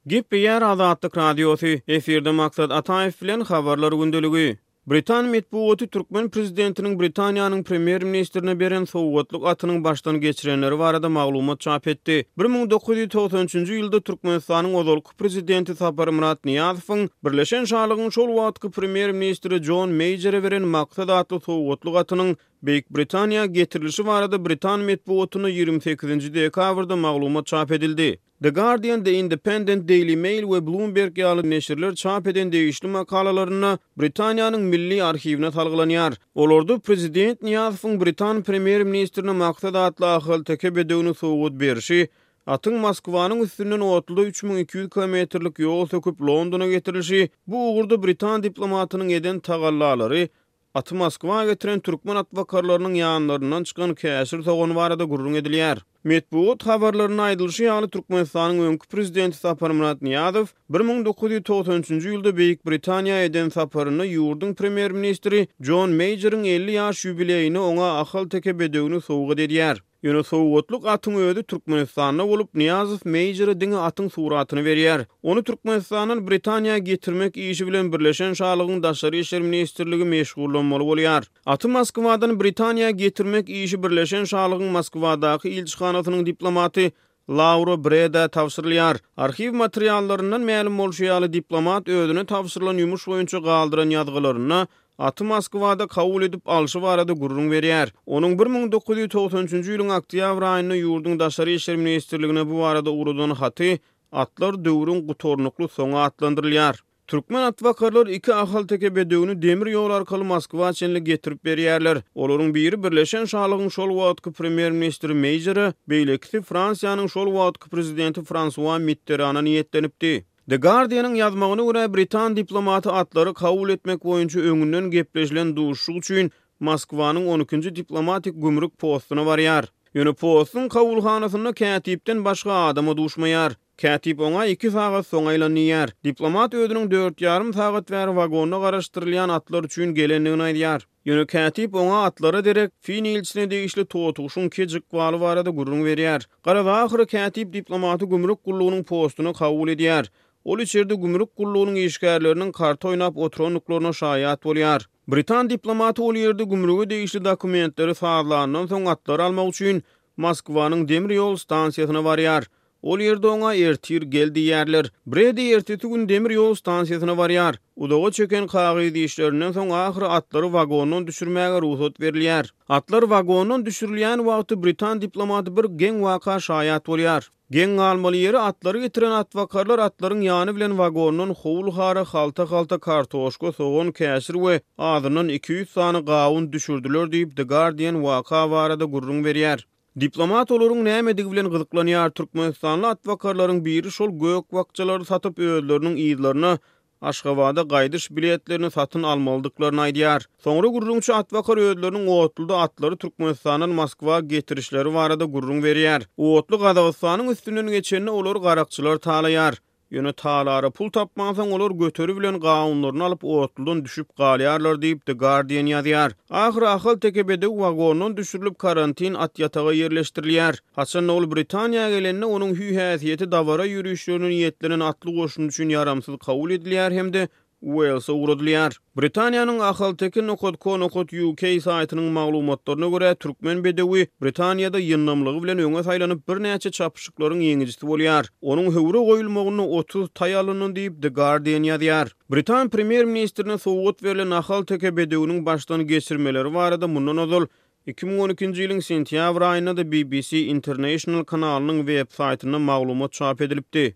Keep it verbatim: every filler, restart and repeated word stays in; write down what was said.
Gepleýär Azatlyk Radiosy, efirde Maksat Ataýew bilen Habarlar gündeligi. Britan metbugaty türkmen prezidentiniň Britaniýanyň premýer-ministrine beren sowgatlyk atynyň başdan geçirenleri barada maglumat çap etdi. Bir müň dokuz ýüz togsan üçünji ýylda Türkmenistanyň ozalky prezidenti Saparmyrat Nyýazowyň Birleşen Şalygyň şol wagtky premýer-ministri Jon Meýjere beren Maksat atly sowgatlyk atynyň Beýik Britaniýa getirilişi barada britan metbugatynda ýigrimi sekizinji dekabrda maglumat çap edildi. The Guardian, The Independent, Daily Mail we Bloomberg ýaly neşirler çap eden degişli makalalarynda Britaniýanyň Milli arhiwine salgylanýar. Olarda prezident Nyýazowyň britan premýer-ministrine Maksat atly ahalteke bedewini sowgat berşi, atyň Moskwanyň üstünden otluda üç müň iki ýüz kilometrlik ýol söküp Londona getirilişi, bu ugurda britan diplomatynyň eden tagallalary, aty Moskwa getiren türkmen atbakarlarynyň ýanlaryndan çykan käşir sogany barada gürrüň edilýär. Metbugat habarlarynda aýdylyşy ýaly, Türkmenistanyň öňki prezidenti Saparmyrat Nyýazow bir müň dokuz ýüz togsan üçünji ýylda Beýik Britaniýa eden saparynda ýurduň premýer-ministri Jon Meýjeriň elli ýaş ýubileýine oňa ahalteke bedewini sowgat edýär. Ýöne sowgatlyk atyň özi Türkmenistanda bolup, Nyýazow Meýjere diňe atyň suratyny berýär. Ony Türkmenistandan Britaniýa getirmek işi bilen Birleşen Şalygyň Daşary işler ministrligi meşgullanmaly bolýar. Aty Moskwadan Britaniýa getirmek işi Birleşen Şalygyň Moskwadaky ilçihanasynyň diplomaty Laura Bredä tabşyrylýar. Arhiw materiallaryndan mälim bolşy ýaly, diplomat özüne tabşyrylan ýumuş boýunça galdyran ýazgylarynda aty Moskwada kabul edip alşy barada gürrüň berýär. Onuň bir müň dokuz ýüz togsan üçünji ýylyň oktýabr aýynda ýurduň Daşary işler ministrligine bu barada ugradan haty Atlar döwrüň gutarnykly soňy atlandyrylýar. Türkmen atbakarlar iki ahalteke bedewini demir ýol arkaly Moskwa çenli getirip berýärler. Olaryň biri Birleşen Şalygyň şol wagtky premýer-ministri Meýjere, beýlekisi Fransiýanyň şol wagtky prezidenti Fransua Mitterana niýetlenipdi. The Guardian-yň ýazmagyna görä, britan diplomaty atlary kabul etmek boýunça öňünden gepleşilen duşuşyk üçin Moskwanyň on ikinji diplomatik gümrük postuna barýar. Ýöne postuň kabulhanasynda kätipden başga adama duşmaýar. Kätip oňa iki sagat soň aýlan diýýär. Diplomat özüniň dört ýarym sagat bäri wagonda garaşdyrylýan atlar üçin gelendigini aýdýar. Ýöne kätip oňa atlara derek fin ilçisine degişli totuguşyň kej ykbaly barada gürrüň berýär. Garaz, ahyry kätip diplomaty gümrük gullugynyň postuna kabul edýär. Ol içerde gümrük gullugynyň işgärleriniň karta oýnap oturandyklaryna şaýat bolýar. Britan diplomaty ol ýerde gümrüge degişli dokumentleri sazlandan soň atlary almak üçin Moskwanyň demir ýol stansiýasyna barýar. Ol ýerde oňa ertir gel diýýärler. Bredi ertesi gün demir ýol stansiýasyna barýar. Uzaga çeken kagyz işlerinden soň ahyry atlary wagondan düşürmäge rugsat berilýär. Atlar wagondan düşürilýän wagty britan diplomaty bir geň waka şaýat bolýar. Geň galmaly ýeri atlary getiren atbakarlar atlaryň ýany bilen wagondan howul-hara halta-halta kartoşka, sogan, käşir we azyndan iki ýüz sany gawun düşürdiler diýip, The Guardian waka barada gürrüň berýär. Diplomat olaryň nämedigi bilen gyzyklanýar. Türkmenistanly atbakarlaryň biri şol gök bakjalary satyp özleriniň yzlaryna Aşgabada gaýdyş biletlerini satyn almalydyklaryny aýdýar. Soňra gürrüňçi atbakar özleriniň otluda atlary Türkmenistandan Moskwa getirişleri barada gürrüň berýär. Otly Gazagystanyň üstünden geçende olary garakçylar talaýar. Ýöne talara pul tapmansoň olar göteri bilen gawunlaryny alyp otludan düşüp galýarlar diýip The Guardian ýazýar. Ahyry ahalteke bedew wagondan düşürilip karantin at ýataga ýerleşdirilýär. Haçanda ol Britaniýa gelende onuň hüý-häsiýeti dabara ýörişlerine niýetlenen atly goşun üçin ýaramsyz kabul edilýär hem-de Uelse ugradylýar. Britaniýanyň ahalteke nokat co nokat uk saýtynyň maglumatlaryna görä, türkmen bedewi Britaniýada ýyndamlygy bilen öňe saýlanyp birnäçe çapyşyklaryň ýeňijisi bolýar. Onuň höwre goýulmagynda otuz taý alyndy diýip, The Guardian ýazýar. Britan premýer-ministrine sowgat berlen ahalteke bedewiniň başdan geçirmeleri barada mundan ozal iki müň on ikinji ýylyň sentýabr aýynda-da B B C International kanalynyň web saýtynda maglumat çap edilipdi.